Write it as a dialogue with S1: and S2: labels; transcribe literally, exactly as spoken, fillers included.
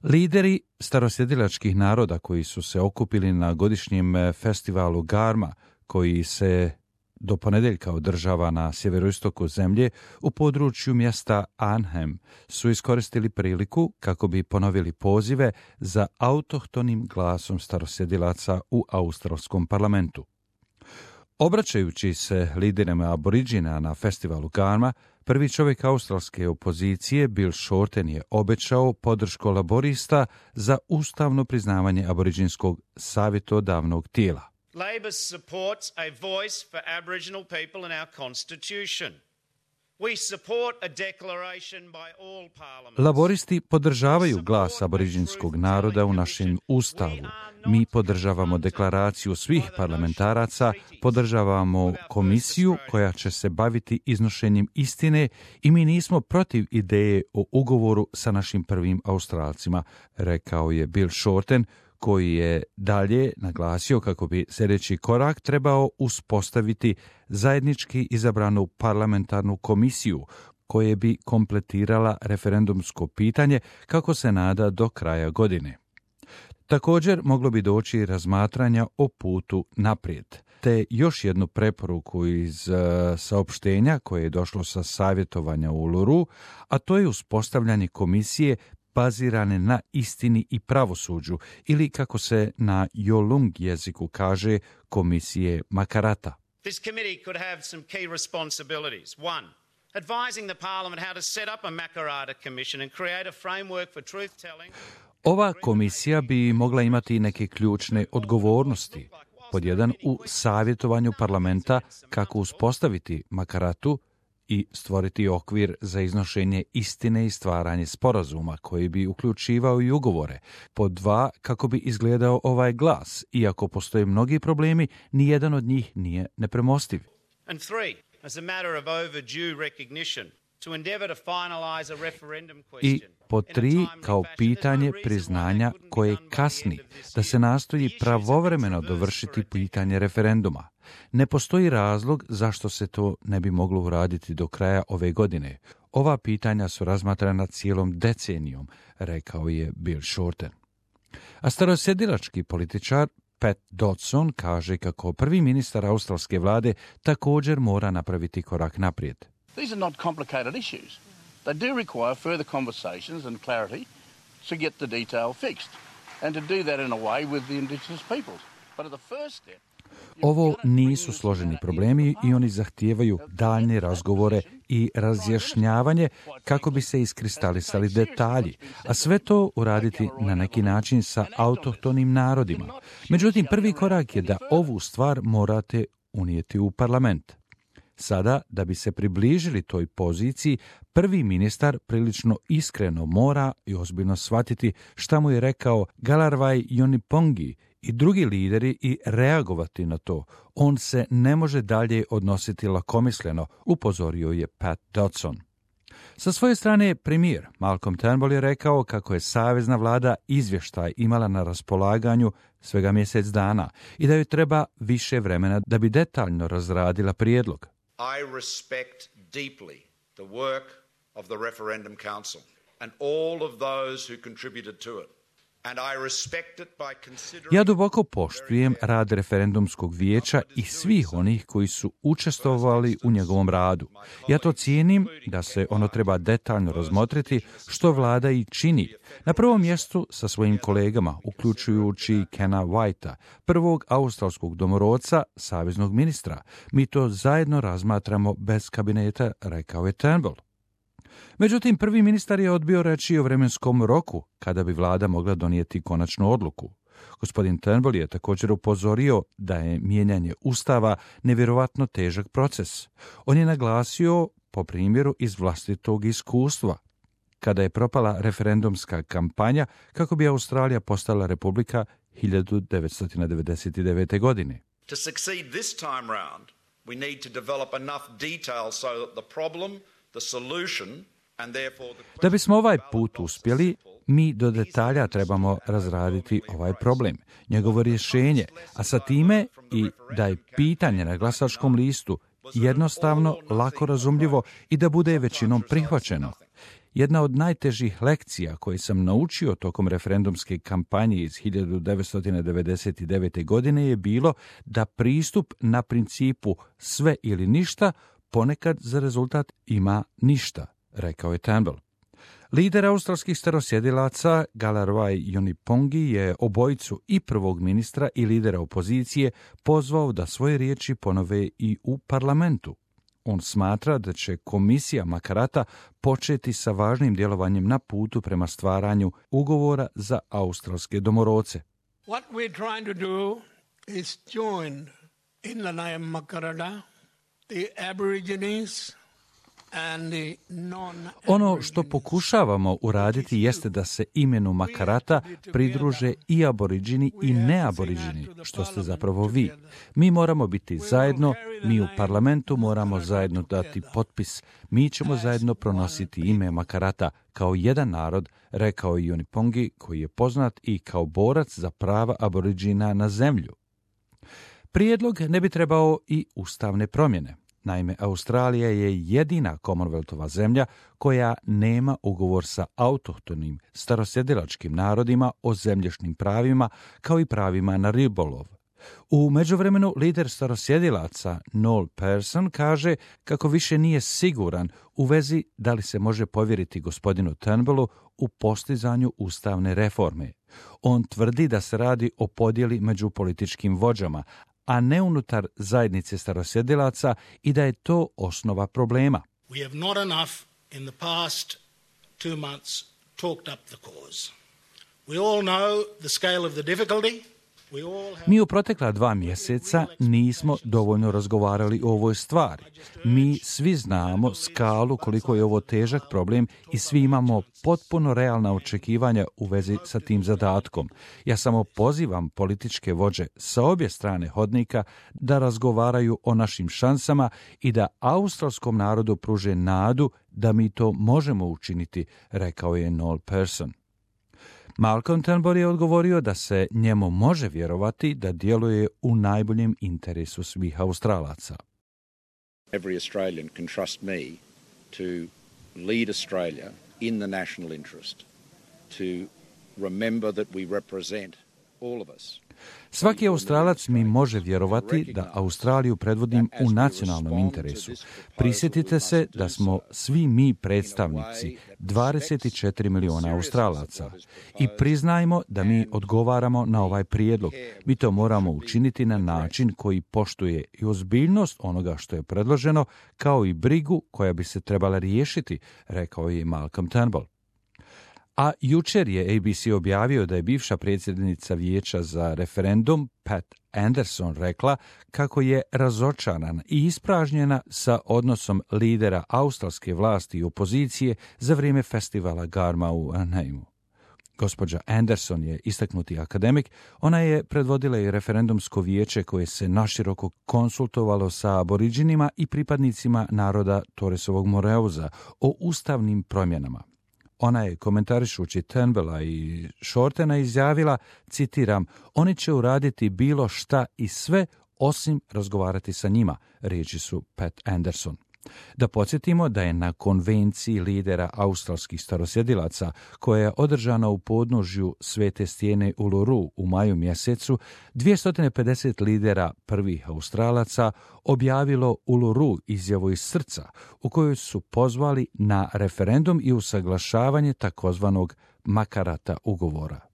S1: Lideri starosjedilačkih naroda koji su se okupili na godišnjem festivalu Garma, koji se do ponedjeljka održava na sjeveroistoku zemlje u području mjesta Arnhem, su iskoristili priliku kako bi ponovili pozive za autohtonim glasom starosjedilaca u australskom parlamentu. Obraćajući se liderima aboriđina na festivalu Garma, prvi čovjek australske opozicije Bill Shorten je obećao podršku laborista za ustavno priznavanje aboriđinskog savjetodavnog tijela.
S2: Labor supports a voice for Aboriginal people in our constitution. We support a declaration by all parliaments.
S1: Laboristi podržavaju glas aboriđinskog naroda u našem ustavu. Mi podržavamo deklaraciju svih parlamentaraca, podržavamo komisiju koja će se baviti iznošenjem istine i mi nismo protiv ideje o ugovoru sa našim prvim Australcima, rekao je Bill Shorten, koji je dalje naglasio kako bi sljedeći korak trebao uspostaviti zajednički izabranu parlamentarnu komisiju koje bi kompletirala referendumsko pitanje kako se nada do kraja godine. Također moglo bi doći razmatranja o putu naprijed, te još jednu preporuku iz uh, saopštenja koje je došlo sa savjetovanja u Uluru, a to je uspostavljanje komisije bazirane na istini i pravosuđu, ili kako se na Yolung jeziku kaže, komisije Makarata.
S2: This committee could have some key responsibilities. One, advising the parliament how to set up a Makarata commission and create a framework for truth telling.
S1: Ova komisija bi mogla imati neke ključne odgovornosti. Pod jedan, u savjetovanju parlamenta kako uspostaviti Makaratu i stvoriti okvir za iznošenje istine i stvaranje sporazuma koji bi uključivao i ugovore. Pod dva, kako bi izgledao ovaj glas, iako postoje mnogi problemi, nijedan od njih nije nepremostiv.
S2: And three, as a matter of overdue recognition, to endeavor to finalize a referendum question.
S1: I pod tri, kao pitanje priznanja koje kasni, da se nastoji pravovremeno dovršiti pitanje referenduma. Ne postoji razlog zašto se to ne bi moglo uraditi do kraja ove godine. Ova pitanja su razmatrana cijelom decenijom, rekao je Bill Shorten. A starosjedilački političar Pat Dodson kaže kako prvi ministar australske vlade također mora napraviti korak naprijed.
S3: These are not complicated issues. They do require further conversations and clarity to get the detail fixed and to do that in a way with the indigenous peoples. But at the first step,
S1: ovo nisu složeni problemi i oni zahtijevaju daljnje razgovore i razjašnjavanje kako bi se iskristalisali detalji, a sve to uraditi na neki način sa autohtonim narodima. Međutim, prvi korak je da ovu stvar morate unijeti u parlament. Sada, da bi se približili toj poziciji, prvi ministar prilično iskreno mora i ozbiljno shvatiti šta mu je rekao Galarrwuy Yunipongi i drugi lideri i reagovati na to. On se ne može dalje odnositi lakomisleno, upozorio je Pat Dodson. Sa svoje strane, premijer Malcolm Turnbull je rekao kako je savezna vlada izvještaj imala na raspolaganju svega mjesec dana i da joj treba više vremena da bi detaljno razradila prijedlog.
S4: I respect deeply the work of the Referendum Council and all of those who contributed to it. And I respect it by considering...
S1: Ja duboko poštujem rad referendumskog vijeća i svih onih koji su učestvovali u njegovom radu. Ja to cijenim da se ono treba detaljno razmotriti, što vlada i čini. Na prvom mjestu sa svojim kolegama, uključujući Kena Whitea, prvog australskog domorodca, saveznog ministra. Mi to zajedno razmatramo bez kabineta, rekao je Turnbull. Međutim, prvi ministar je odbio reći o vremenskom roku kada bi vlada mogla donijeti konačnu odluku. Gospodin Turnbull je također upozorio da je mijenjanje ustava nevjerovatno težak proces. On je naglasio, po primjeru iz vlastitog iskustva, kada je propala referendumska kampanja kako bi Australija postala republika hiljadu devetsto devedeset devete. godine.
S4: To succeed this time round, we need to develop enough detail so that the problem, the solution, and therefore the...
S1: Da bismo ovaj put uspjeli, mi do detalja trebamo razraditi ovaj problem, njegovo rješenje, a sa time i da je pitanje na glasačkom listu jednostavno, lako razumljivo i da bude većinom prihvaćeno. Jedna od najtežih lekcija koje sam naučio tokom referendumske kampanje iz hiljadu devetsto devedeset devete. godine je bilo da pristup na principu sve ili ništa ponekad za rezultat ima ništa, rekao je Turnbull. Lider australskih starosjedilaca Galarrwuy Yunipongi je obojicu i prvog ministra i lidera opozicije pozvao da svoje riječi ponove i u parlamentu. On smatra da će komisija Makarata početi sa važnim djelovanjem na putu prema stvaranju ugovora za australske domorodce.
S5: What we're trying to do is join in the name Makarata, the Aborigines and the non-
S1: Ono što pokušavamo uraditi jeste da se imenu Makarata pridruže i aboriđini i neaboriđini, što ste zapravo vi. Mi moramo biti zajedno, mi u parlamentu moramo zajedno dati potpis, mi ćemo zajedno pronositi ime Makarata kao jedan narod, rekao je Yunipongi, koji je poznat i kao borac za prava aboriđina na zemlju. Prijedlog ne bi trebao i ustavne promjene. Naime, Australija je jedina Commonwealthova zemlja koja nema ugovor sa autohtonim starosjedilačkim narodima o zemljišnim pravima kao i pravima na ribolov. U međuvremenu lider starosjedilaca Noel Pearson kaže kako više nije siguran u vezi da li se može povjeriti gospodinu Turnbullu u postizanju ustavne reforme. On tvrdi da se radi o podjeli među političkim vođama, a ne unutar zajednice starosjedilaca i da je to osnova problema.
S5: We have not enough in the past two months talked up the cause. We all know the scale of the difficulty. We all have...
S1: Mi u protekla dva mjeseca nismo dovoljno razgovarali o ovoj stvari. Mi svi znamo skalu koliko je ovo težak problem i svi imamo potpuno realna očekivanja u vezi sa tim zadatkom. Ja samo pozivam političke vođe sa obje strane hodnika da razgovaraju o našim šansama i da australskom narodu pruže nadu da mi to možemo učiniti, rekao je Noel Pearson. Malcolm Turnbull je odgovorio da se njemu može vjerovati da djeluje u najboljem interesu svih Australaca.
S4: Every Australian can trust me to lead Australia in the national interest, to remember that we represent all of us.
S1: Svaki Australac mi može vjerovati da Australiju predvodim u nacionalnom interesu. Prisjetite se da smo svi mi predstavnici dvadeset četiri miliona Australaca i priznajmo da mi odgovaramo na ovaj prijedlog. Mi to moramo učiniti na način koji poštuje i ozbiljnost onoga što je predloženo, kao i brigu koja bi se trebala riješiti, rekao je Malcolm Turnbull. A jučer je A B C objavio da je bivša predsjednica vijeća za referendum Pat Anderson rekla kako je razočarana i ispražnjena sa odnosom lidera australske vlasti i opozicije za vrijeme festivala Garma u Aneimu. Gospođa Anderson je istaknuti akademik, ona je predvodila i referendumsko vijeće koje se naširoko konsultovalo sa aboriđinima i pripadnicima naroda Torresovog Moreuza o ustavnim promjenama. Ona je komentarišući Turnbulla i Shortena izjavila, citiram, oni će uraditi bilo šta i sve osim razgovarati sa njima, riječi su Pat Anderson. Da podsjetimo da je na konvenciji lidera australskih starosjedilaca, koja je održana u podnožju Svete stijene Uluru u maju mjesecu, dvjesto pedeset lidera prvih Australaca objavilo Uluru izjavu iz srca, u kojoj su pozvali na referendum i usaglašavanje takozvanog Makarata ugovora.